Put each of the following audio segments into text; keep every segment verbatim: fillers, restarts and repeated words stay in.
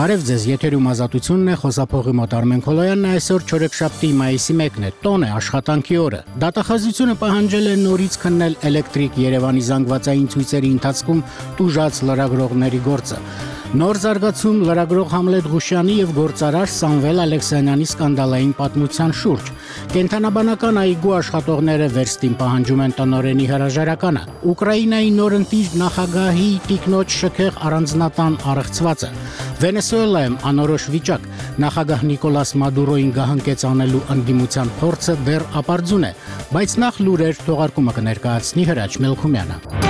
Բարև ձեզ, եթերում ազատությունն է, խոսափողի մոտ Արմեն Քոլոյանն է, այսօր չորեքշաբթի մայիսի մեկն է, տոն է, աշխատանքի օրը։ Դատախազությունը պահանջել է նորից քննել էլեկտրիկ Երևանի զանգվածային ցույցերի ընթացքում տուժած լրագրողների գործը։ Նոր զարգացում լրագրող Համլետ Ղուշյանի եւ գործարար Սամվել Ալեքսանյանի սկանդալային պատմության շուրջ։ Կենթանաբանական այգու աշխատողները վերստին պահանջում են տնօրենի հրաժարականը։ Ուկրաինայի նորընտիր նախագահի տիկնոջ շքեղ առանձնատան առեղծվածը։ Վենեսուելայում անորոշ վիճակ։ Նախագահ Նիկոլաս Մադուրոին գահանքեց անելու ընդդիմության փորձը դեռ ապարդյուն է, բայց նախ լուրեր թողարկումը կներկայացնի Հրաչ Մելքումյանը։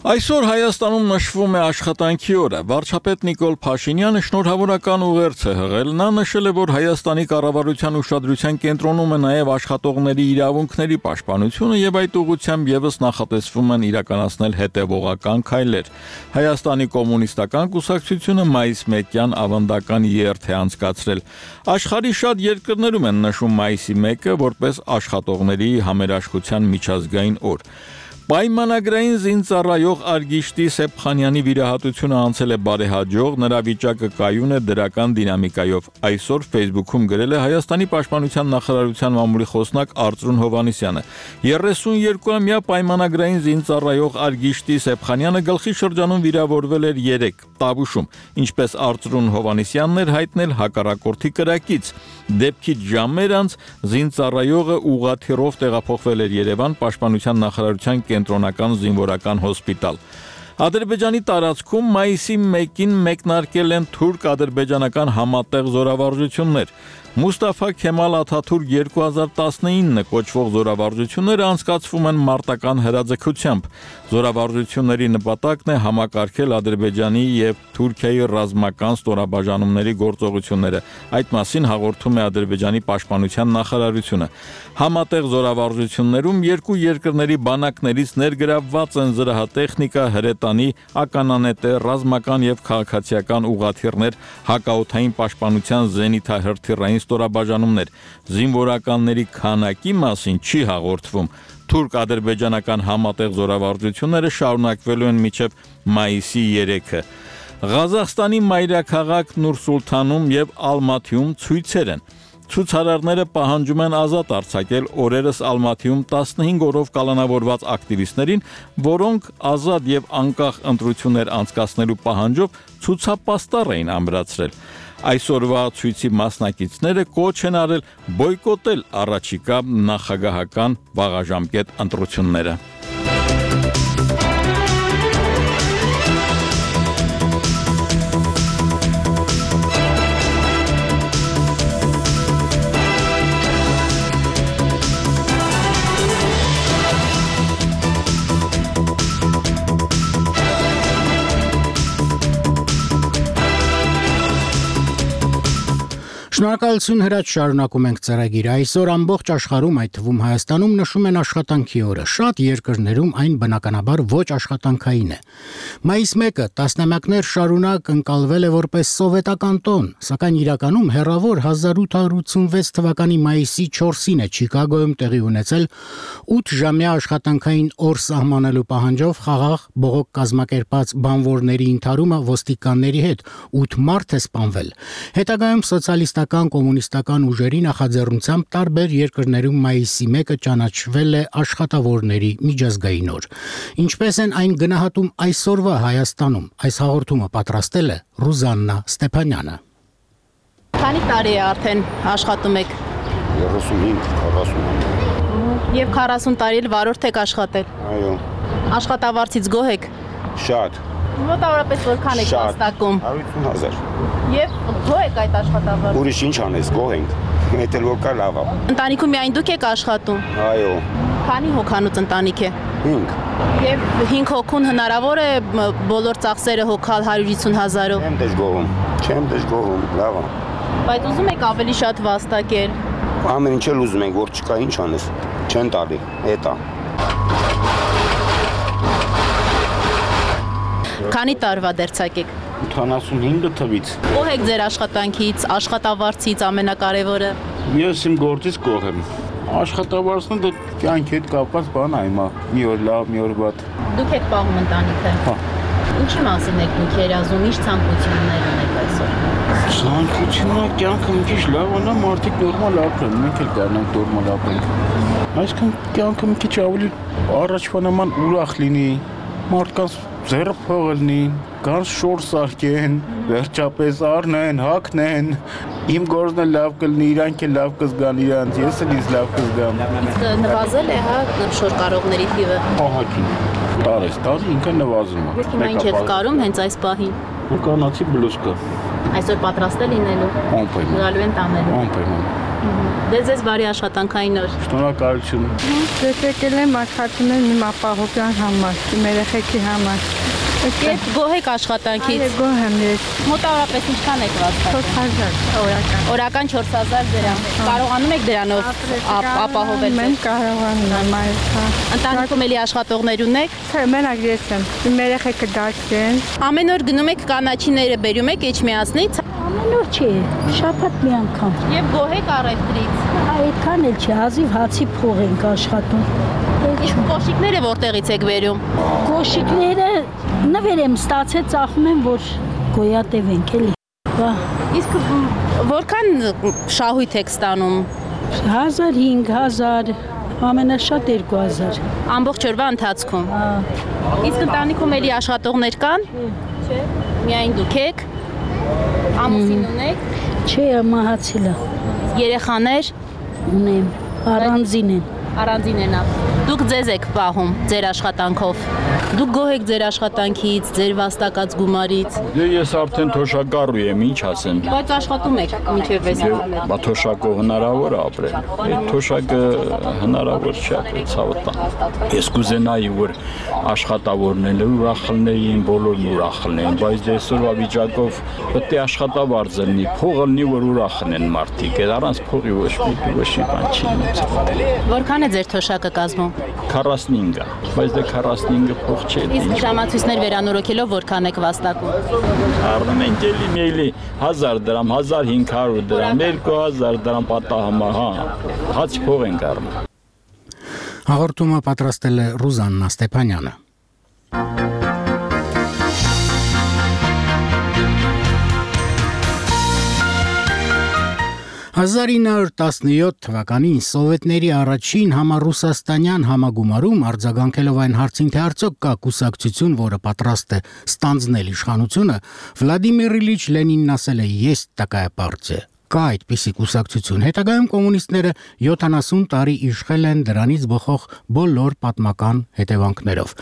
Այսօր Հայաստանում նշվում է աշխատանքի օրը։ Վարչապետ Նիկոլ Փաշինյանը շնորհավորական ուղերձ է հղել։ Նա նշել է, որ Հայաստանի կառավարության ուշադրության կենտրոնում է նաև աշխատողների իրավունքների պաշտպանությունը եւ այդ ուղղությամբ եւս նախատեսվում են իրականացնել հետեւողական քայլեր։ Հայաստանի կոմունիստական կուսակցությունը մայիս մեկյան ավանդական երթ է անցկացրել։ Աշխարհի շատ երկրներում են նշում մայիսի մեկը որպես աշխատողների համերաշխության միջազգային օր։ Պայմանագրային զինծառայող Արգիշտի Սեփխանյանի վիրահատությունը անցել է բարեհաջող, նրա վիճակը կայուն է դրական դինամիկայով։ Այսօր Facebook-ում գրել է Հայաստանի պաշտպանության նախարարության մամուլի խոսնակ Արծրուն Հովհաննիսյանը։ երեսունյոթամյա պայմանագրային զինծառայող Արգիշտի Սեփխանյանը գլխի շրջանում վիրավորվել էր երեկ Տավուշում, ինչպես Արծրուն Հովհաննիսյանն էր հայտնել հակառակորդի կրակից։ Դեպքից ժամեր անց զինծառայողը ուղղաթիռով տեղափոխվել էր Երևան պաշտպանության նախարարության կենտրոնական զինվորական հոսպիտալ։ Ադրբեջանի տարածքում մայիսի մեկին մեկնարկել են թուրք-ադրբեջանական համատեղ զորավարժություններ։ Մուստաֆա Քեմալ Աթաթուրք երկու հազար տասնինը կոչվող զորավարժությունները անցկացվում են մարտական հրաձգությամբ։ Զորավարժությունների նպատակն է համակարգել Ադրբեջանի եւ Թուրքիայի ռազմական ստորաբաժանումների գործողությունները։ Այդ մասին հաղորդում է Ադրբեջանի պաշտպանության նախարարությունը։ Համատեղ զորավարժություններում երկու երկրների բանակներից ներգրավված են զրահատեխնիկա, հրետանի, ականանետեր, ռազմական եւ քաղաքացիական ուղղաթիռներ, հակաօդային պաշտպանության զենիթահրթիռային ստորաբաժանումներ։ Զինվորականների քանակի մասին չի հաղորդվում։ Թուրք-ադրբեջանական համատեղ զորավարժությունները շարունակվելու են մինչև մայիսի երեքը։ Ղազախստանի մայրաքաղաք Նուր-Սուլթանում եւ Ալմաթիում ցույցեր են։ Ցուցարարները պահանջում են ազատ արձակել օրերս Ալմաթիում տասնհինգ օրով կալանավորված ակտիվիստներին, որոնք ազատ եւ անկախ ընտրություններ անցկացնելու պահանջով ցուցապաստառ էին ամրացրել։ Այսօրվա ցույցի մասնակիցները կոչ են արել բոյկոտել առաջիկա նախագահական վաղաժամկետ ընտրությունները։ Շնորհակալություն Հրաչ, շարունակում ենք ծրագիրը։ Այսօր ամբողջ աշխարհում, այդ թվում Հայաստանում նշում են աշխատանքի օրը։ Շատ երկրներում այն բնականաբար ոչ աշխատանքային է։ Մայիս մեկը տասնամյակներ շարունակ ընկալվել է որպես սովետական տոն, սակայն իրականում հեռավոր հազար ութ հարյուր ութսունվեց թվականի մայիսի չորսին է Չիկագոյում տեղի ունեցել ութ ժամյա աշխատանքային օր սահմանելու պահանջով խաղաղ բողոք կազմակերպած բանվորների ընդհարումը ոստիկանների հետ, ութ մարդ է սպանվել։ Հետագայում սոցիալիստական կոմունիստական ուժերի նախաձեռնությամբ տարբեր երկրներում մայիսի մեկը ճանաչվել է աշխատավորների միջազգային օր։ Ինչպես են այն գնահատում այսօրվա Հայաստանում, այս հաղորդումը պատրաստել է Ռուզաննա Ստեփանյանը։ Քանի տարի է արդեն աշխատում եք։ երեսունհինգ քառասուն։ Եվ քառասուն տարի էլ վարորդ եք աշխատել։ Այո։ Աշխատավարձից գոհ եք։ Շատ։ Մոտավորապես որքան եք վաստակում։ հարյուր հազար։ Եվ գոհ եք այդ աշխատավարձից։ Ուրիշ ինչ անես, գոհ ենք։ Մեթել որ կա լավ է։ Ընտանիքում միայն դուք եք աշխատում։ Այո։ Քանի հոգանոց ընտանիք է։ հինգ։ Եվ հինգ հոգուն հնարավոր է բոլոր ծախսերը հոգալ հարյուր հիսուն հազարով։ Չեմ դժգոհում։ Չեմ դժգոհում, լավ է։ Բայց ուզում եք ավելի շատ վաստակել։ Ամեն ինչ էլ ուզում ենք, որ չկա, ինչ անես։ Չեն տալի, էտա։ Քանի տարվա դերձակ եք։ ութանասունհինգ թվից։ Գոհ եք ձեր աշխատանքից, աշխատավարձից ամենակարևորը։ Ես իմ գործից գոհ եմ։ Աշխատավարձն դե կյանքի հետ կապված բան է հիմա։ Մի օր լավ, մի օր վատ։ Դուք եք պահում ընտանիքը։ Հա։ Ինչի մասին եք դուք երազում, ինչ ցանկություններ ունեք այսօր։ Ցանկությունը կյանքը մի քիչ լավ անա, մարդիկ նորմալ ապրեն, մենք էլ կարողանանք նորմալ ապրենք։ Այսինքն կյանքը մի քիչ ավելի առաջվա նման ուրախ լինի, մարդկանց ձեռը փող լինի, կան շոր սարքեն, վերջապես առնեն, հագնեն։ Իմ գործն էլ լավ կլինի, իրանք էլ լավ կզգան իրանց, ես էլ ինձ լավ կզգամ։ Իսկ նվազել է, հա, շոր կարողների թիվը։ Ահագին։ Տարես, տարի ինքը նվազում է։ Հիմա ինչ եք կարում հենց այս պահին։ Կանացի բլուսկա։ Այսօր պատրաստ է լինելու։ Անպայման։ Գալու են տանելու։ Անպայման։ Դե ձեզ բարի աշխատանքային օր։ Շնորհակալություն։ Ես եկել եմ աշխատել իմ ապահովության համար, իմ երեխեքի համար։ Երբ գոհ եք աշխատանքից։ Այո, գոհ եմ ես։ Մոտավորապես ինչքան եք վաստակում։ չորս հազար օրական։ Օրական չորս հազար դրամ։ Կարողանում եք դրանով ապահովել։ Մենք կարողանում եմ այո։ Ընտանիքում էլի աշխատողներ ունեք։ Չէ, մենակ ես եմ։ Իմ երեխեքը դաս են։ Ամեն օր գնում եք կանաչիները բերում եք Էջմիածնից։ Ամեն օր չի, շաբաթ մի անգամ։ Եվ գոհ եք առևտրից։ Այդքան էլ չի, հազիվ հացի փող ենք աշխատում։ Իսկ կոշիկները որտեղից եք բերում։ Կոշիկները նվեր եմ ստացել, ծախում եմ, որ գոյատևենք էլի։ Բա Իսկ որքան շահույթ եք ստանում։ հազար, հինգ հազար, ամենաշատ երկու հազար։ Ամբողջ օրվա ընթացքում։ Իսկ ընտանիքում էլի աշխատողներ կան։ Չէ։ Միայն դուք եք։ Ամուսին ունեք։ Չէ, մահացել է։ Երեխաներ Ունեմ, առանձին են։ առանձին են ապրում։ Դուք ձեզ եք պահում ձեր աշխատանքով։ Դուք գոհ եք ձեր աշխատանքից, ձեր վաստակած գումարից։ Դե ես արդեն թոշակառու եմ, ինչ ասեմ։ Բայց աշխատում եք մինչև վեց ամեն։ Բա թոշակով հնարավոր է ապրել։ Այդ թոշակը հնարավոր չի ապրել, ցավը տան։ Ես կուզենայի, որ աշխատավորները ուրախ լինեին, բոլորն ուրախ լինեին, բայց դե այսօրվա վիճակով պետք է աշխատավարձ լինի, փողը լինի, որ ուրախ լինեն մարդիկ։ Այդ առանց փողի ոչ մի ոչ մի բան չի։ Որքան է ձեր թոշակը կազմում։ քառասունհինգ, բայց դե քառասունհինգը փող չէ։ Իսկ ժամացույցներ վերանորոգելով որքան եք վաստակում։ Առնում ենք էլի մեյլի հազար դրամ, հազար հինգ հարյուր դրամ, երկու հազար դրամ պատահամա, հա, հաց փող ենք առնում։ Հաղորդումը պատրաստել է Ռուզաննա Ստեփանյանը։ հազար ինը հարյուր տասնյոթ թվականին սովետների առաջին համառուսաստանյան համագումարում արձագանքելով այն հարցին, թե արդյոք կա կուսակցություն, որը պատրաստ է ստանձնել իշխանությունը, Վլադիմիր Իլիչ Լենինն ասել է. «Есть такая партия». Կա այդպիսի կուսակցություն։ Հետագայում կոմունիստները յոթանասուն տարի իշխել են դրանից բխող բոլոր պատմական հետևանքներով։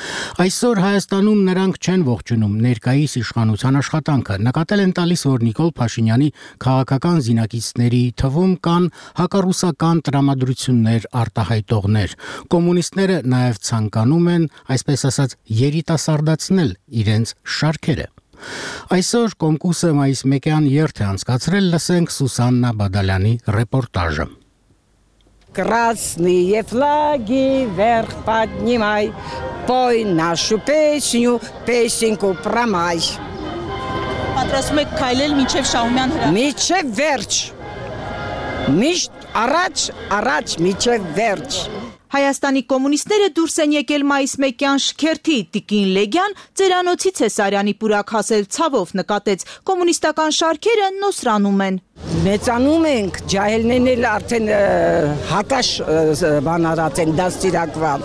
Այսօր Հայաստանում նրանք չեն ողջունում ներկայիս իշխանության աշխատանքը։ Նկատել են տալիս, որ Նիկոլ Փաշինյանի քաղաքական զինակիցների թվում կան հակառուսական տրամադրություններ արտահայտողներ։ Կոմունիստները նաև ցանկանում են, այսպես ասած, երիտասարդացնել իրենց շարքերը։ Այսօր Կոմկուսը մայիս մեկյան երթ է անցկացրել, լսենք Սուսաննա Բադալյանի ռեպորտաժը։ Красные флаги вверх поднимай, пой нашу песню, песенку про май. Պատրաստում եք քայլել մինչև Շահումյան հրապարակ։ Մինչև վերջ, միշտ առաջ, առաջ մինչև վերջ։ Հայաստանի կոմունիստները դուրս են եկել մայիս մեկյան շքերթի, Տիկին Լեգյան ծերանոցից է Սարյանի պուրակ հասել, ցավով նկատեց, կոմունիստական շարքերը նոսրանում են։ Մեծանում ենք, ջահելներն էլ արդեն հակաշ բանարած են, դաստիարակված։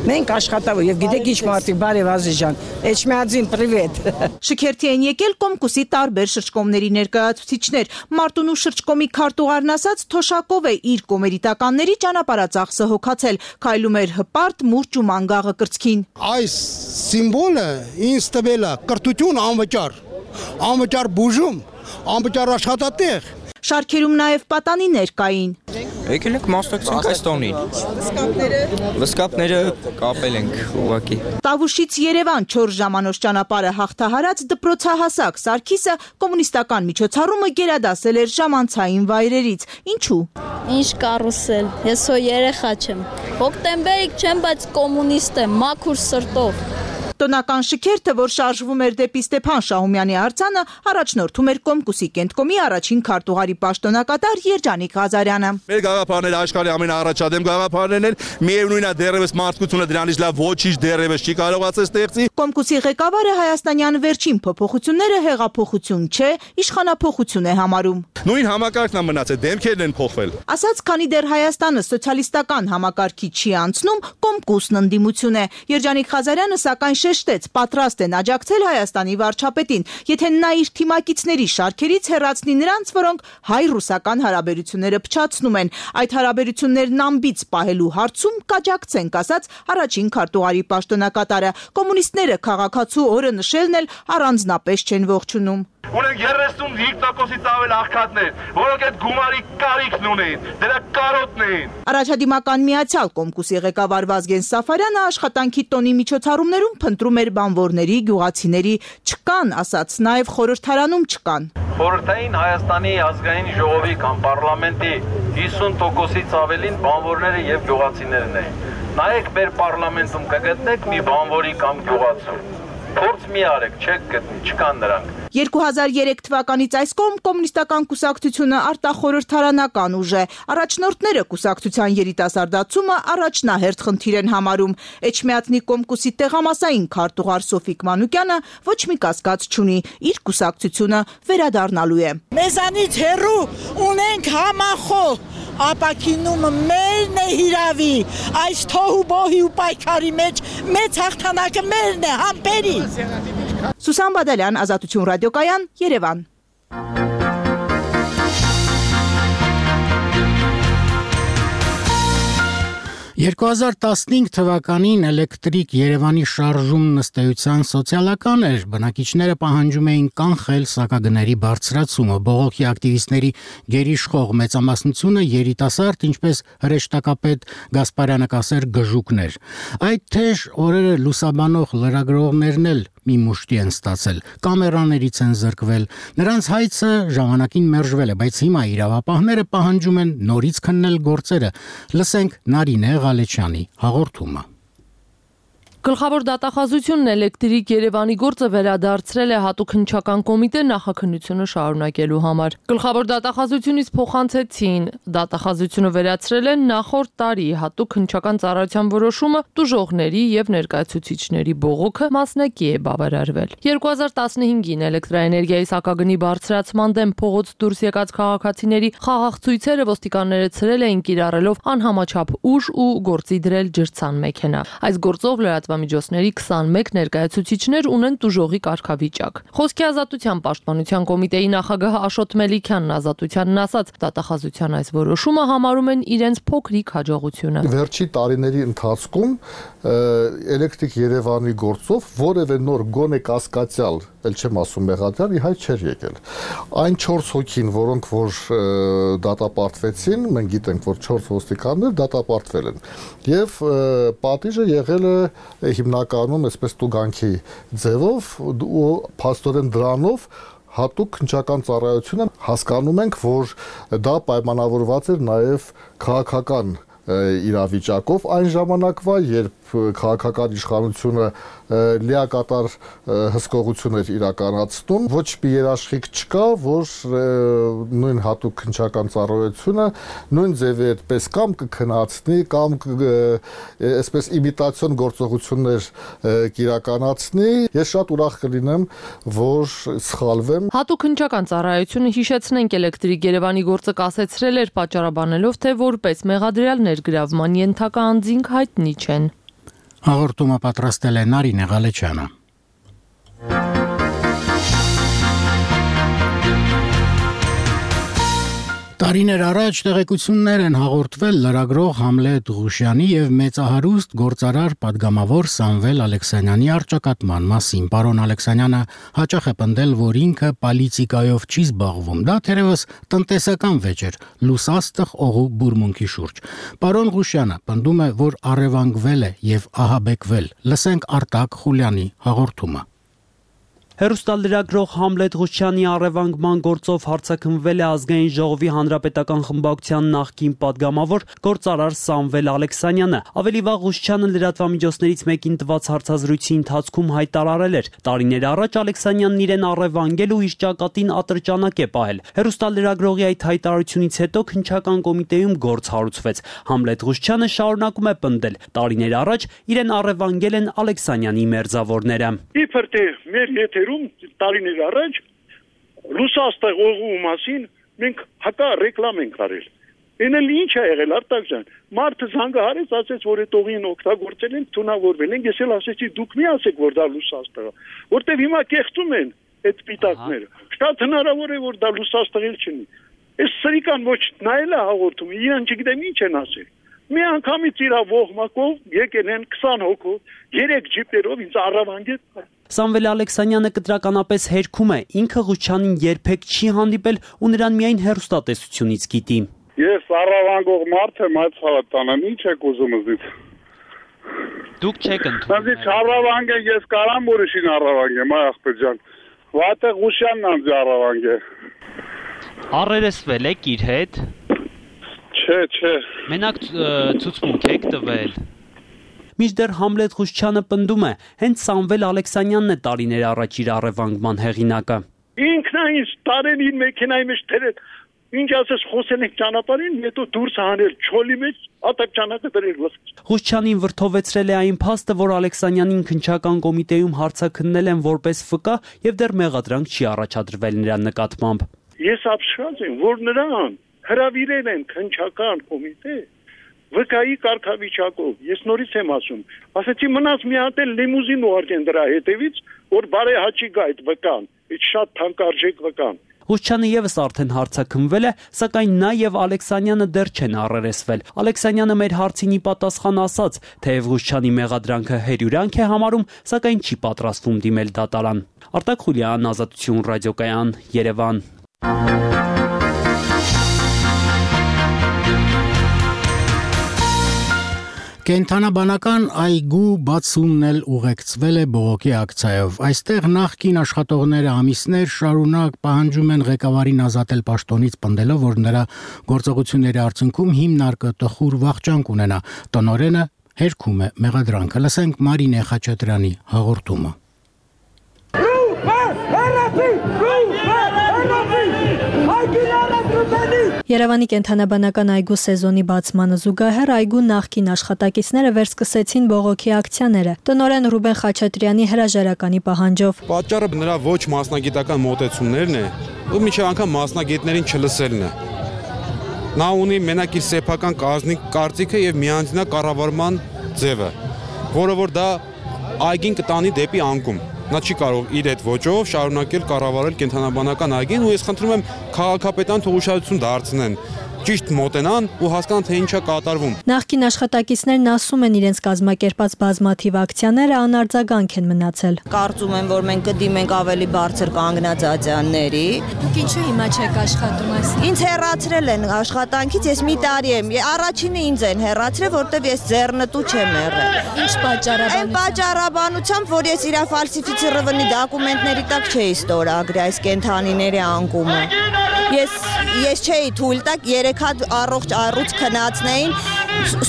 Մենք աշխատավոր եւ գիտեք ինչ մարդիկ, բարև Ազիզյան, Էջմիածին պրիվետ։ Շքերթի են եկել Կոմկուսի տարբեր շրջկոմների ներկայացուցիչներ։ Մարտունու շրջկոմի քարտուղարն ասաց, թոշակով է իր կոմերիտականների ճանապարհածախսը հոգացել, քայլում էր հպարտ, մուրճ ու մանգաղը կրծքին։ Այս սիմվոլը ինձ տվել է կրթություն անվճար, անվճար բուժում, անվճար աշխատատեղ։ Շարքերում նաև պատանիներ կային։ Եկել ենք մասնակցենք այս տոնին։ Վսկապները։ Վսկապները կապել ենք ուղակի։ Տավուշից Երևան չորս ժամանոց ճանապարհը հաղթահարած դպրոցահասակ Սարգիսը կոմունիստական միջոցառումը գերադասել էր ժամանցային վայրերից։ Ինչու։ Ինչ կարուսել։ Ես հո երեխա չեմ։ Հոկտեմբերիկ չեմ, բայց կոմունիստ եմ, մաքուր սրտով։ Պաշտոնական շքերթը, որ շարժվում էր դեպի Ստեփան Շահումյանի արձանը, առաջնորդում էր Կոմկուսի կենտկոմի առաջին քարտուղարի պաշտոնակատար Երջանիկ Ղազարյանը։ Մեր գաղափարները աշխարհի ամենաառաջադեմ գաղափարներն են, միևնույնն է դեռևս մարդկությունը դրանից լավ ոչինչ դեռևս չի կարողացել ստեղծի։ Կոմկուսի ղեկավարը հայաստանյան վերջին փոփոխությունները հեղափոխություն չէ, իշխանափոխություն է համարում։ Նույն համակարգն է մնացել, դեմքերն են փոխվել։ Ասաց, քանի դեռ Հայաստանը սոցիալիստական համակարգի չի անցնում, Կոմկուսն ընդդիմություն է։ Երջանիկ Ղազարյանը սակայն շեշտեց, պատրաստ են աջակցել Հայաստանի վարչապետին, եթե նա իր թիմակիցների շարքերից հեռացնի նրանց, որոնք հայ-ռուսական հարաբերությունները փչացնում են։ Այդ հարաբերություններն ամբից պահելու հարցում կաջակցենք, ասաց առաջին քարտուղարի պաշտոնակատարը։ Կոմունիստները քաղաքացու օրը նշելն էլ առանձնապես չեն ողջունում։ Ունենք երեսունհինգ տոկոսից ավել աղքատներ, որոնք այդ գումարի կարիքն ունեն, դրա կարոտն են։ Առաջադիմական միացյալ Կոմկուսի ղեկավար Վազգեն Սաֆարյանը աշխատանքի տոնի միջոցառումներում փնտրում էր բանվորների, գյուղացիների, չկան, ասաց, նաև խորհրդարանում չկան։ Խորհրդային Հայաստանի ազգային ժողովի կամ պարլամենտի հիսուն տոկոսից ավելին բանվորները եւ գյուղացիներն են։ Նայեք մեր պարլամենտում կգտնեք մի բանվորի կամ գյուղացու։ Փորձ մի արեք, չեք գտնի, չկան նրանք։ երկու հազար երեք թվականից այս կողմ կոմունիստական կուսակցությունը արտախորհրդարանական ուժ է։ Առաջնորդները կուսակցության երիտասարդացումը առաջնահերթ խնդիր են համարում։ Էջմիածնի Կոմկուսի տեղամասային քարտուղար Սոֆիկ Մանուկյանը ոչ մի կասկած չունի, իր կուսակցությունը վերադառնալու է։ Մեզանից հեռու ունենք համախոհ ապակինումը մերն է հիրավի, այս թոհու բոհի ու պայքարի մեջ մեծ հաղթանակը մերն է, համբերի։ Սուսան Բադալյան, Ազատություն ռադիոկայան, Երևան։ երկու հազար տասնհինգ թվականին էլեկտրիկ Երևանի շարժումն ըստ էության սոցիալական էր, բնակիչները պահանջում էին կանխել սակագների բարձրացումը, բողոքի ակտիվիստների գերիշխող մեծամասնությունը երիտասարդ, ինչպես հրեշտակապետ Գասպարյանը կասեր գժուկներ։ Այդ թեժ օրերը լուսաբանող լրագրողներն էլ մի մուշտի են ստացել, կամերաներից են զրկվել, նրանց հայցը ժամանակին մերժվել է, բայց հիմա իրավապահները պահանջում են նորից քննել գործերը։ Լսենք Նարինե Ղալեչյանի հաղորդումը։ Գլխավոր դատախազությունն էլեկտրիկ Երևանի գործը վերադարձրել է հատուկ հնչական կոմիտե նախաքննությունը շարունակելու համար։ Գլխավոր դատախազությունից փոխանցեցին, դատախազությունը վերացրել են նախորդ տարի հատուկ հնչական ծառայության որոշումը տուժողների եւ ներկայացուցիչների բողոքը մասնակի է բավարարվել։ երկու հազար տասնհինգին էլեկտրաէներգիայի սակագնի բարձրացման դեմ փողոց դուրս եկած քաղաքացիների խաղաղ ցույցերը ոստիկանները ցրել էին կիրառելով անհամաչափ ուժ ու գործի դրել ջրցան մեքենա։ Այս գործով լրատվամիջոցների քսանմեկ ներկայացուցիչներ ունեն տուժողի կարգավիճակ։ Խոսքի ազատության պաշտպանության կոմիտեի նախագահ Աշոտ Մելիքյանն Ազատությանն ասաց, դատախազության այս որոշումը համարում են իրենց փոքրիկ հաջողությունը։ Վերջի տարիների ընթացքում էլեկտրիկ Երևանի գործով որևէ նոր գոնե կասկածյալ, ել չեմ ասում մեղադրյալ, ի հայտ չէր եկել։ Այն չորս հոգին, որոնք որ դատապարտվեցին, մենք գիտենք, որ չորս ոստիկաններ դատապարտվել են։ Եվ պատիժը եղել է հիմնականում այսպես տուգանքի ձևով ու փաստորեն դրանով հատուկ հնչական ծառայությունը հասկանում ենք, որ դա պայմանավորված էր նաև քաղաքական իրավիճակով այն ժամանակվա, երբ քաղաքական իշխանությունը լիակատար հսկողություն էր իրականացնում, ոչ մի երաշխիք չկա, որ նույն հատուկ հնչական ծառայությունը նույն ձևի այդպես կամ կքննացնի, կամ այսպես իմիտացիոն գործողություններ կիրականացնի։ Ես շատ ուրախ կլինեմ, որ սխալվեմ։ Հատուկ հնչական ծառայությունը, հիշեցնենք, էլեկտրիկ Երևանի գործը կասեցրել էր պատճառաբանելով, թե որպես մեղադրյալ ներգրավման ենթակա անձինք հայտնի չեն։ Հաղորդումը պատրաստել է Նարինե Ղալեչյանը։ Տարիներ առաջ տեղեկություններ են հաղորդվել լրագրող Համլետ Ղուշյանի եւ մեծահարուստ գործարար պատգամավոր Սամվել Ալեքսանյանի առճակատման մասին։ Պարոն Ալեքսանյանը հաճախ է պնդել, որ ինքը պոլիտիկայով չի զբաղվում։ Դա թերևս տնտեսական վեճ էր, լուսաստղ օղու բուրմունքի շուրջ։ Պարոն Ղուշյանը պնդում է, որ առևանգվել է եւ ահաբեկվել։ Լսենք Արտակ Խուլյանի հաղորդումը։ Հեռուստալրագրող Համլետ Ղուշյանի առևանգման գործով հարցաքննվել է ազգային ժողովի հանրապետական խմբակցության նախկին падգամավոր գործարար Սամվել Ալեքսանյանը։ Ավելի վաղ Ղուշյանը լրատվամիջոցներից մեկին տված հարցազրույցի ընթացքում հայտարարել էր. տարիներ առաջ Ալեքսանյանն իրեն առևանգել ու իր ճակատին ատրճանակ է պահել։ Հեռուստալրագրողի այդ հայտարարությունից հետո քննչական կոմիտեում գործ հարուցվեց։ Համլետ Ղուշյանը շարունակում է պնդել. տարիներ առաջ իրեն առևանգել են Ալեքսանյանի մերձավորները։ Իբր թե մեր եթերում տարիներ առաջ Ռուսաստան օղու մասին մենք հակա ռեկլամ ենք արել։ Էնել ինչ է եղել Արտակ ջան։ Մարդը զանգահարեց, ասեց, որ այդ օղին օգտագործել են, թունավորվել են։ Ես էլ ասեցի, դուք մի ասեք, որ դա Ռուսաստան է, որտեվ հիմա կեղծում են այդ պիտակները։ Շատ հնարավոր է, որ դա Ռուսաստան չլինի։ Այս սրիկան ոչ նայել է հաղորդումը, իրան չգիտեմ ինչ են ասել։ Մի անգամից իր ողմակով եկել են քսան հոգով, երեք ջիպերով ինձ առավանգել։ Սամվել Ալեքսանյանը կտրականապես հերքում է, ինքը Ղուշյանին երբեք չի հանդիպել ու նրան միայն հեռուստատեսությունից գիտի։ Ես առավանգող մարդ եմ, այդ ցավտանեմ, ինչ եք ուզում զից։ Դուք չեք ընդունում։ Ես առավանգ եմ, ես կարամ ուրիշին առավանգեմ, այ ախպեր ջան։ Վատը Ղուշյանն անձ առավանգ է։ Առերեսվել եք իր հետ։ Չէ, չէ։ Մենակ ցուցմունք եք տվել։ Մինչդեռ Համլետ Ղուշյանը պնդում է, հենց Սամվել Ալեքսանյանն է տարիներ առաջ իր առևանգման հեղինակը։ Ինքն է ինձ տարեն իր մեքենայի մեջ դրել։ Ինչ ասես խոսել ենք ճանապարհին, հետո դուրս հանել չոլի մեջ, ատակ դրել ոսկի։ Ղուշյանին վրթովեցրել է այն փաստը, որ Ալեքսանյանին քննչական կոմիտեում հարցաքննել են որպես ֆկա եւ դեռ մեղադրանք չի առաջադրվել նրա նկատմամբ։ Ես ապշած եմ, որ նրան հրավիրել են քննչական կոմիտե վկայի կարգավիճակով։ Ես նորից եմ ասում, ասեցի մնաց մի հատ էլ լիմուզին ուղարկեն դրա հետևից, որ բարեհաճի գա այդ վկան, այդ շատ թանկարժեք վկան։ Ղուշյանը եւս արդեն հարցաքննվել է, սակայն նա եւ Ալեքսանյանը դեռ չեն առերեսվել։ Ալեքսանյանը մեր հարցին ի պատասխան ասաց, թեև Ղուշյանի մեղադրանքը հերյուրանք է համարում, սակայն չի պատրաստվում դիմել դատարան։ Արտակ Խուլյան, Ազատություն ռադիոկայան, Երևան։ Կենթանաբանական այգու բացումն էլ ուղեկցվել է բողոքի ակցիայով։ Այստեղ նախկին աշխատողները ամիսներ շարունակ պահանջում են ղեկավարին ազատել պաշտոնից, պնդելով, որ նրա գործողությունների արդյունքում հիմնարկը տխուր վախճան կունենա։ Տնօրենը հերքում է մեղադրանքը։ Լսենք Մարինե Խաչատրյանի հաղորդումը։ Երևանի կենթանաբանական այգու սեզոնի բացմանը զուգահեռ այգու նախկին աշխատակիցները վերսկսեցին բողոքի ակցիաները։ Տնօրեն Ռուբեն Խաչատրյանի հրաժարականի պահանջով։ Պատճառը նրա ոչ մասնագիտական մոտեցումներն է, ու միջև անգամ մասնագետներին չլսելն է։ Նա ունի մենակ իր սեփական կազմի կարծիքը եւ միանձնա կառավարման ձևը, որը որ դա այգին կտանի դեպի անկում։ Նա չի կարող իր այդ ոճով շարունակել կառավարել կենթանաբանական այգին ու ես խնդրում եմ քաղաքապետան թող ուշադրություն դարձնեն, ճիշտ մոտենան ու հասկանան թե ինչա կատարվում։ Նախկին աշխատակիցներն ասում են իրենց կազմակերպած բազմաթիվ ակցիաները անարձագանք են մնացել։ Կարծում եմ, որ մենք կդիմենք ավելի բարձր կանգնած ատյանների։ Դուք ինչու հիմա չեք աշխատում այս։ Ինձ հեռացրել են աշխատանքից, ես մի տարի եմ։ Առաջինը ինձ են հեռացրել, որտեվ ես ձեռնտու չեմ եղել։ Ինչ պատճառաբանությամբ։ Այն պատճառաբանությամբ, որ ես իր ֆալսիֆիցիրованի դոկումենտների տակ չէի ստորագրի այս կենթանիների անկումը։ Ես ես չէի թույլ տակ երեք հատ առողջ առուց քնածնեին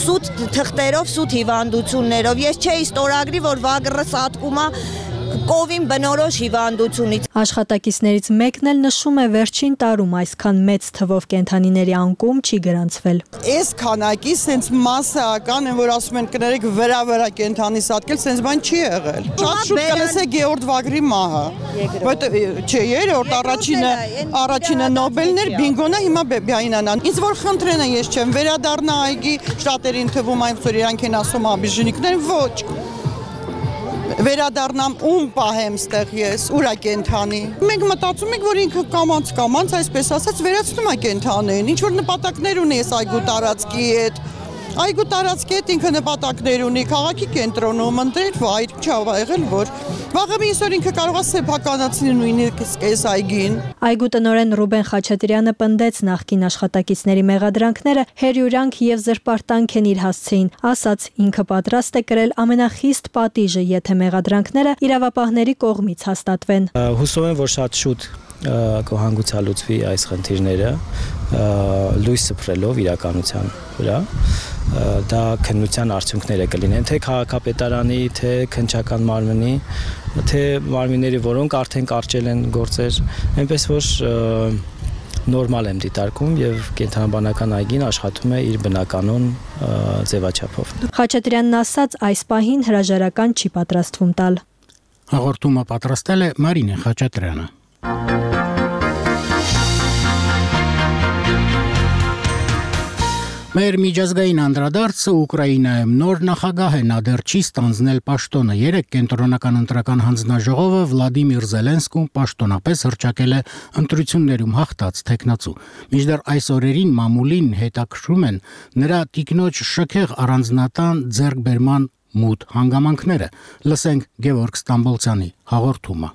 սուտ թղթերով, սուտ հիվանդություններով։ Ես չէի ստորագրի, որ վագրս ատկումա կովին բնորոշ հիվանդությունից։ Աշխատակիցներից մեկն էլ նշում է վերջին տարում այսքան մեծ թվով կենթանիների անկում չի գրանցվել։ Այս քանակի սենց մասսայական են, որ ասում են կներեք վրա-վրա կենթանի սատկել, սենց բան չի եղել։ Շատ շուտ կլսեք Գեորգ Վագրի մահը։ Որտե չէ, երրորդ առաջինը առաջինը Նոբելներ, բինգոնը հիմա Բիայնանան։ Ինձ որ խնդրեն են, ես չեմ վերադառնա այգի, շատերին թվում այնքան իրանք են ասում աբիժնիկներ, ոչ։ Վերադառնամ ում պահեմ ստեղ ես, ուրա կենթանի։ Մենք մտածում ենք, որ ինքը կամանց կամանց, այսպես ասած, վերացնում է կենթանին, ինչ որ նպատակներ ունի այս այգու տարածքի հետ, Այգու տարածքետ ինքը նպատակներ ունի, քաղաքի կենտրոնում ընտրել վայր, չավ եղել որ վաղը մի այսօր ինքը կարող է սեփականացնել նույնիսկ այս այգին։ Այգու տնօրեն Ռուբեն Խաչատրյանը պնդեց նախկին աշխատակիցների մեղադրանքները հերյուրանք եւ զրպարտանք են իր հասցեին, ասաց ինքը պատրաստ է կրել ամենախիստ պատիժը, եթե մեղադրանքները իրավապահների կողմից հաստատվեն։ Հուսով եմ, որ շատ շուտ կհանգուցալուծվի այս խնդիրները լույս սփռելով իրականության վրա դա քննության արդյունքները կլինեն թե քաղաքապետարանի թե քննչական մարմնի թե մարմինների որոնք արդեն կարճել են գործեր այնպես որ նորմալ եմ դիտարկում եւ կենտրոնաբանական այգին աշխատում է իր բնականon ձևաչափով Խաչատրյանն ասաց այս պահին հրաժարական չի պատրաստվում տալ Հաղորդումը պատրաստել է Մարինե Խաչատրյանը Մեր միջազգային անդրադարձը Ուկրաինայում նոր նախագահ է նա դեռ չի ստանձնել պաշտոնը երեք կենտրոնական ընտրական հանձնաժողովը Վլադիմիր Զելենսկուն պաշտոնապես հռչակել է ընտրություններում հաղթած տեխնացու Մինչդեռ այս օրերին մամուլին հետաքրում են նրա տիկնոջ շքեղ առանձնատան ձեռքբերման մութ հանգամանքները լսենք Գևորգ Ստամբոլցյանի հաղորդումը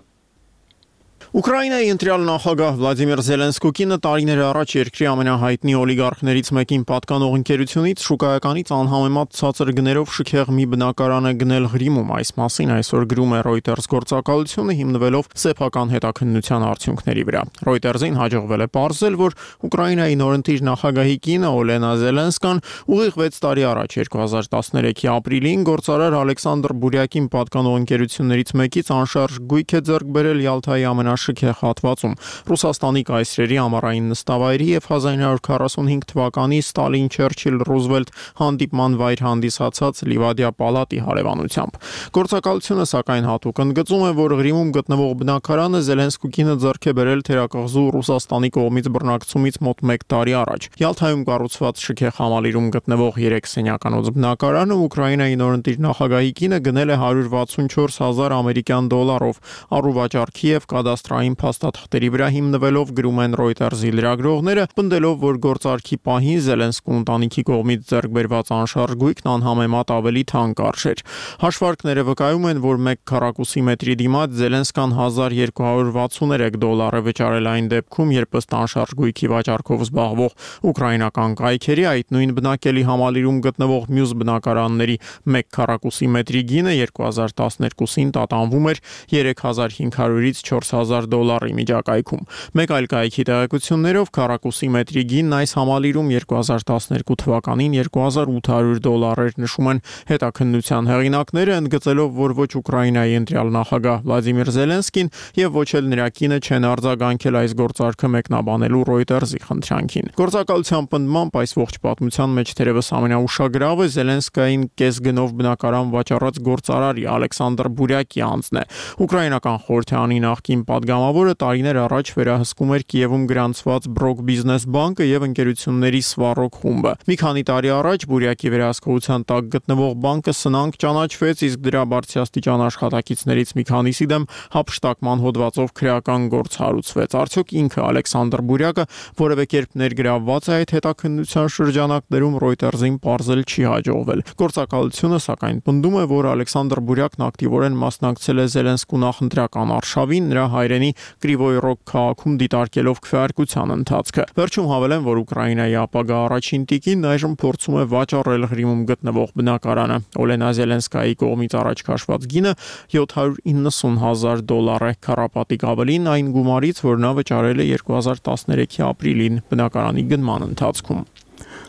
Ուկրաինայի ընտրյալ նախագահ Վլադիմիր Զելենսկուկինը տարիներ առաջ երկրի ամենահայտնի օլիգարխներից մեկին պատկանող ընկերությունից շուկայականից անհամեմատ ցածր գներով շքեղ մի բնակարան է գնել Ղրիմում այս մասին այսօր գրում է Reuters գործակալությունը հիմնվելով սեփական հետաքննության արդյունքների վրա Reuters-ին հաջողվել է պարզել որ Ուկրաինայի նորընտիր նախագահի կինը Օլենա Զելենսկան ուղիղ վեց տարի առաջ երկու հազար տասներեքի ապրիլին գործարար Ալեքսանդր Բուրյակին պատկանող ընկերություններից մեկից անշարժ գույք է ձեռք բերել Յալթայի ամենաշքեղ հատվածում Ռուսաստանի կայսրերի ամառային նստավայրի եւ հազար ինը հարյուր քառասունհինգ թվականի Ստալին Չերչիլ Ռուզվելտ հանդիպման վայր հանդիսացած Լիվադիա պալատի հարևանությամբ Գործակալությունը սակայն հատուկ ընդգծում է որ Ղրիմում գտնվող բնակարանը Զելենսկուկինը ձեռք է բերել թերակղզու Ռուսաստանի կողմից բռնակցումից մոտ մեկ տարի առաջ Յալթայում կառուցված շքեղ համալիրում գտնվող երեք սենյականոց բնակարանը Ուկրաինայի նորընտիր նախագահի կինը գնել է հարյուր վաթսունչորս հազար ամերիկյան դոլարով առուվաճառքի եւ կադաստրային փաստաթղթերի վրա հիմնվելով գրում են Reuters-ի լրագրողները, պնդելով, որ գործարքի պահին Զելենսկու ընտանիքի կողմից ձեռք բերված անշարժ գույքն անհամեմատ ավելի թանկ արժեր։ Հաշվարկները վկայում են, որ մեկ քառակուսի մետրի դիմաց Զելենսկան հազար երկու հարյուր վաթսուներեք դոլար է վճարել այն դեպքում, երբ ըստ անշարժ գույքի վաճառքով զբաղվող ուկրաինական կայքերի այդ նույն բնակելի համալիրում գտնվող մյուս բնակարանների մեկ քառակուսի մետրի գինը երկու հազար տասներկուսին տատանվում էր երեք հազար հինգ հարյուրից չորս հազար դոլարի միջակայքում։ Մեկ այլ կայքի տեղեկություններով քառակուսի մետրի գինն այս համալիրում երկու հազար տասներկու թվականին երկու հազար ութ հարյուր դոլար էր նշում են հետաքննության հեղինակները, ընդգծելով, որ ոչ Ուկրաինայի ընտրյալ նախագահ Վլադիմիր Զելենսկին եւ ոչ էլ նրա կինը չեն արձագանքել այս գործարքը մեկնաբանելու Reuters-ի խնդրանքին։ Գործակալության պնդմամբ այս ողջ պատմության մեջ թերևս ամենաուշագրավը Զելենսկային կես գնով բնակարան վաճառած գործարարի Ալեքսանդր Բուրյակի անձն է։ Ուկրաինական խորհրդարանի նախկին պատգամավորը տարիներ առաջ վերահսկում էր Կիևում գրանցված Բրոկ բիզնես բանկը եւ ընկերությունների Սվարոկ խումբը։ Մի քանի տարի առաջ Բուրյակի վերահսկողության տակ գտնվող բանկը սնանկ ճանաչվեց, իսկ դրա բարձրաստիճան աշխատակիցներից մի քանիսի դեմ հափշտակման հոդվածով քրեական գործ հարուցվեց։ Արդյոք ինքը Ալեքսանդր Բուրյակը որևէ կերպ ներգրավված է այդ հետաքննության շրջանակներում Reuters-ին պարզել չի հաջողվել։ Գործակալությունը սակայն պնդում է, որ Ալեքսանդր Բուրյակն ակտիվորեն մասնակցել է Զելենսկու նախընտրական արշավին նրա հայրենի Կրիվոյ Ռոգ քաղաքում դիտարկելով քվեարկության ընթացքը։ Վերջում հավելեն, որ Ուկրաինայի ապագա առաջին տիկին այժմ փորձում է վաճառել Ղրիմում գտնվող բնակարանը։ Օլենա Զելենսկայի կողմից առաջ քաշված գինը յոթ հարյուր իննսուն հազար դոլար է, քառապատիկ ավելին այն գումարից, որ նա վճարել է երկու հազար տասներեքի ապրիլին բնակարանի գնման ընթացքում։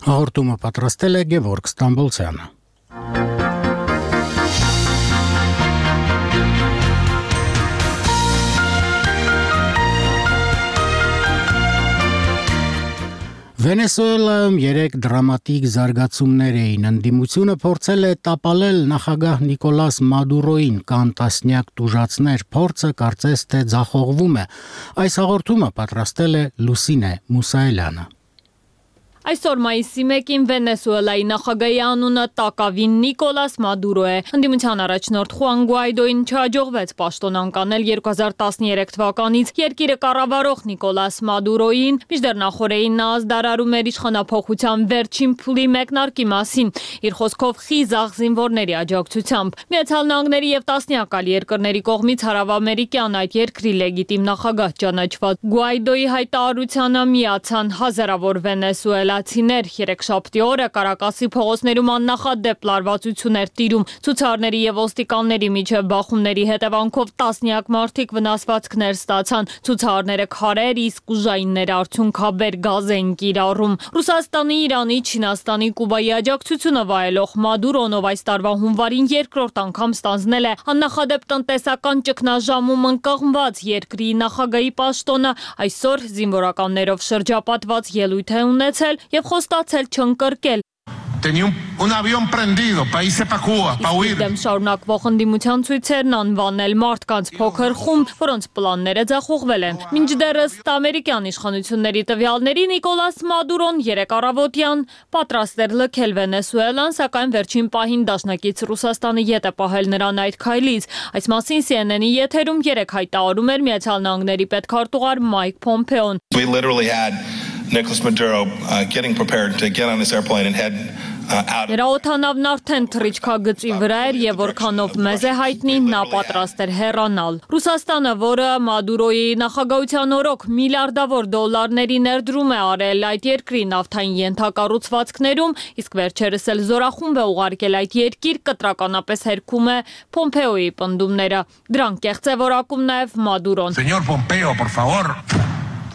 Հաղորդումը պատրաստել է Գևորգ Ստամբոլցյանը։ Վենեսուելայում երեք դրամատիկ զարգացումներ էին։ Ընդդիմությունը փորձել է տապալել նախագահ Նիկոլաս Մադուրոին, կան տասնյակ տուժածներ, փորձը կարծես թե ձախողվում է։ Այս հաղորդումը պատրաստել է Լուսինե Մուսայելյանը։ Այսօր մայիսի մեկին Վենեսուելայի նախագահի անունը տակավին Նիկոլաս Մադուրո է։ Ընդդիմության առաջնորդ Խուան Գուայդոին չհաջողվեց պաշտոն անկանել երկու հազար տասներեք թվականից երկիրը կառավարող Նիկոլաս Մադուրոին, մինչդեռ նախորդին նա ազդարարում էր իշխանափոխության վերջին փուլի մեկնարկի մասին, իր խոսքով խիզախ զինվորների աջակցությամբ։ Միացյալ Նահանգների եւ տասնյակ այլ երկրների կողմից հարավամերիկյան այդ երկրի լեգիտիմ նախագահ ճանաչված Գուայդոյի հայտարարությանը միացան հազարավոր վենեսուելացիներ։ Երեքշաբթի օրը Կարակասի փողոցներում աննախադեպ լարվածություն էր տիրում։ Ցուցարների եւ ոստիկանների միջև բախումների հետևանքով տասնյակ մարդիկ վնասվածքներ ստացան։ Ցուցարները քարեր, իսկ ուժայինները արդյունքաբեր գազ են կիրառում։ Ռուսաստանի, Իրանի, Չինաստանի, Կուբայի աջակցությունը վայելող Մադուրոն, ով այս տարվա հունվարին երկրորդ անգամ ստանձնել է աննախադեպ տնտեսական ճգնաժամում ընկղմված երկրի նախագահի պաշտոնը, այսօր զինվորականներով շրջապատված ելույթ է ունեցել եւ խոստացել չընկրկել։ Tenía un, un avión prendido, para irse para Cuba, para huir. Դեմ շարունակվող ընդդիմության ցույցերն անվանել մարդկանց փոքր խումբ, որոնց պլանները ձախողվել են։ Մինչդեռս ամերիկյան իշխանությունների տվյալների Նիկոլաս Մադուրոն երեկ առավոտյան պատրաստ էր լքել Վենեսուելան, սակայն վերջին պահին դաշնակից Ռուսաստանը ետ է պահել նրան այդ քայլից։ Այս մասին C N N-ի եթերում երեկ հայտարարում էր Միացյալ Նահանգների պետքարտուղար Մայք Փոմպեոն։ We literally had Nicolas Maduro uh, getting prepared to get on this airplane and head Նրա օդանավն արդեն թռիչքագծի վրա էր եւ որքանով մեզ է հայտնի նա պատրաստ էր հեռանալ։ Ռուսաստանը, որը Մադուրոյի նախագահության օրոք միլիարդավոր դոլարների ներդրում է արել այդ երկրի նավթային ենթակառուցվածքներում, իսկ վերջերս էլ զորախումբ է ուղարկել այդ երկիր, կտրականապես հերքում է Փոմպեոյի պնդումները։ Դրանք կեղծ է որակում նաեւ Մադուրոն։ Señor Pompeo, por favor,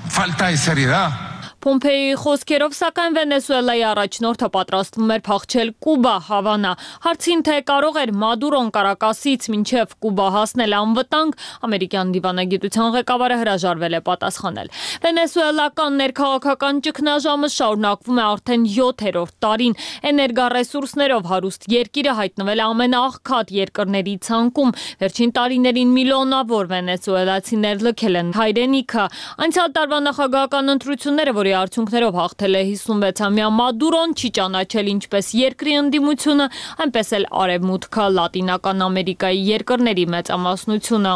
falta de seriedad. Փոմպեոյի խոսքերով, սակայն Վենեսուելայի առաջնորդը պատրաստվում էր փախչել Կուբա, Հավանա։ Հարցին թե կարող էր Մադուրոն Կարակասից մինչև Կուբա հասնել անվտանգ, ամերիկյան դիվանագիտության ղեկավարը հրաժարվել է պատասխանել։ Վենեսուելական ներքաղաքական ճգնաժամը շարունակվում է արդեն յոթերորդ տարին։ Էներգառեսուրսներով հարուստ երկիրը հայտնվել է ամենաաղքատ երկրների ցանկում։ Վերջին տարիներին միլիոնավոր վենեսուելացիներ լքել են հայրենիքը։ Անցյալ տարվա նախագահական ընտրությունները, որի արդյունքներով հաղթել է հիսունվեցամյա Մադուրոն, չի ճանաչել ինչպես երկրի ընդդիմությունը, այնպես էլ Արևմուտքը, Լատինական Ամերիկայի երկրների մեծամասնությունը։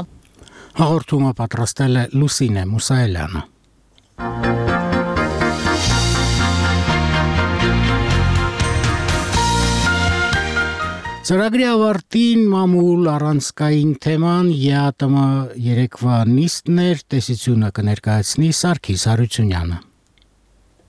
Հաղորդումը պատրաստել է Լուսինե Մուսայելյանը։ Ծրագրի ավարտին մամուլ առանցքային թեման ԵԱՏՄ երեկվա նիստներ տեսությունը կներկայացնի Սարգիս Հարությունյանը։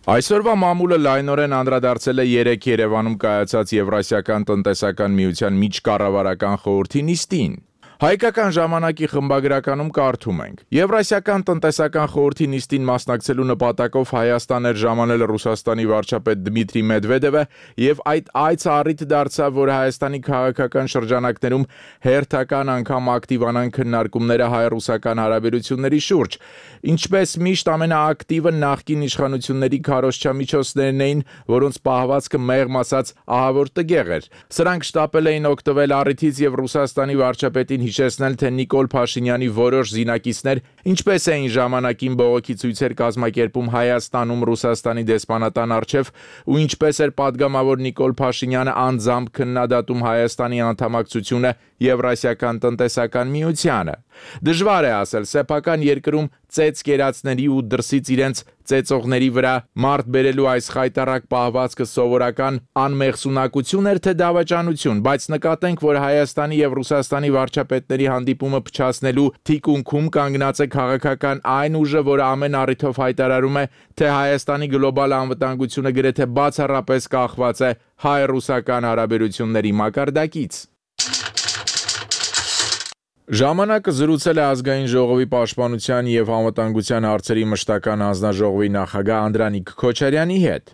Այսօրվա մամուլը լայնորեն անդրադարձել է երեք Երևանում կայացած Եվրասիական տնտեսական միության միջկառավարական խորհրդի նիստին։ Հայկական ժամանակի խմբագրականում կարդում ենք. Եվրասիական տնտեսական խորհրդի նիստին մասնակցելու նպատակով Հայաստան էր ժամանել Ռուսաստանի վարչապետ Դմիտրի Մեդվեդևը եւ այդ այցը առիթ դարձավ, որ Հայաստանի քաղաքական շրջանակներում հերթական անգամ ակտիվանան քննարկումները հայ-ռուսական հարաբերությունների շուրջ։ Ինչպես միշտ ամենաակտիվը նախկին իշխանությունների քարոզչամիջոցներն էին, որոնց պահվածքը մեղմ ասած ահավոր տգեղ էր։ Սրանք շտապել էին օգտվել առիթից եւ Ռուսաստանի վարչապետին հիշեցնել, թե Նիկոլ Փաշինյանի որոշ զինակիցներ ինչպես էին ժամանակին բողոքի ցույցեր կազմակերպում Հայաստանում Ռուսաստանի դեսպանատան առջև ու ինչպես էր падգամավոր Նիկոլ Փաշինյանը անձամբ քննադատում Հայաստանի անդամակցությունը Եվրասիական տնտեսական միությանը։ Դժվար է ասել, սեփական երկրում ծեծ կերածների ու դրսից իրենց ծեծողների վրա մարդ բերելու այս խայտարակ պահվածքը սովորական անմեղսունակություն էր, թե դավաճանություն, բայց նկատենք, որ Հայաստանի եւ Ռուսաստանի վարչապետների հանդիպումը փչացնելու թիկունքում կանգնած է քաղաքական այն ուժը, որը ամեն առիթով հայտարարում է, թե Հայաստանի գլոբալ անվտանգությունը գրեթե բացառապես կախված է հայ-ռուսական հարաբերությունների մակարդակից։ Ժամանակը զրուցել է ազգային ժողովի պաշտպանության եւ անվտանգության հարցերի մշտական հանձնաժողովի նախագահ Անդրանիկ Քոչարյանի հետ։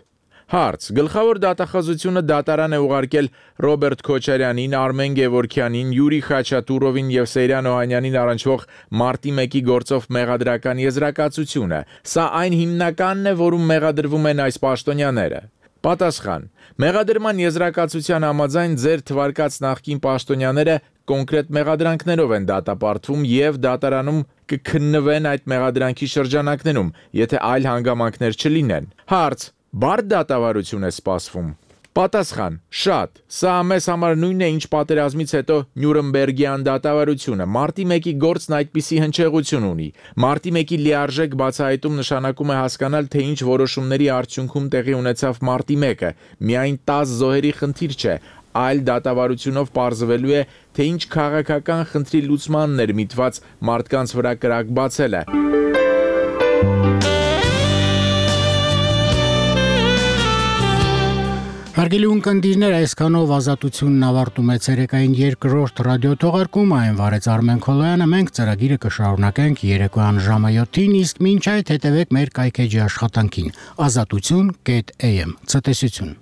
Հարց. Գլխավոր դատախազությունը դատարան է ուղարկել Ռոբերտ Քոչարյանին, Արմեն Գևորգյանին, Յուրի Խաչատուրովին եւ Սեյրան Օհանյանին առնչվող մարտի մեկի գործով մեղադրական եզրակացությունը։ Սա այն հիմնականն է, որում մեղադրվում են այս պաշտոնյաները։ Պատասխան. Մեղադրման եզրակացության համաձայն ձեր թվարկած նախկին պաշտոնյաները կոնկրետ մեղադրանքներով են դատապարտվում եւ դատարանում կքննվեն այդ մեղադրանքի շրջանակներում, եթե այլ հանգամանքներ չլինեն։ Հարց. Բարդ դատավարություն է սպասվում։ Պատասխան. շատ։ Սա մեզ համար նույնն է, ինչ պատերազմից հետո Նյուրնբերգյան դատավարությունը։ Մարտի մեկի գործն այդպիսի հնչեղություն ունի։ Մարտի մեկի լիարժեք բացահայտում նշանակում է հասկանալ, թե ինչ որոշումների արդյունքում տեղի ունեցավ մարտի մեկը։ Միայն տաս զոհերի խնդիր չէ, այլ դատավարությունով պարզվելու է, թե ինչ քաղաքական խնդրի լուծմանն էր միտված մարդկանց վրա կրակ բացելը։ Հարգելի ունկնդիրներ, այսքանով ազատությունն ավարտում է ցերեկային երկրորդ ռադիոթողարկումը, այն վարեց Արմեն Քոլոյանը, մենք ծրագիրը կշարունակենք երեկոյան ժամը յոթին, իսկ մինչ այդ հետևեք մեր կայքեջի աշխատանքին ազատություն կետ էյ էմ Ցտեսություն։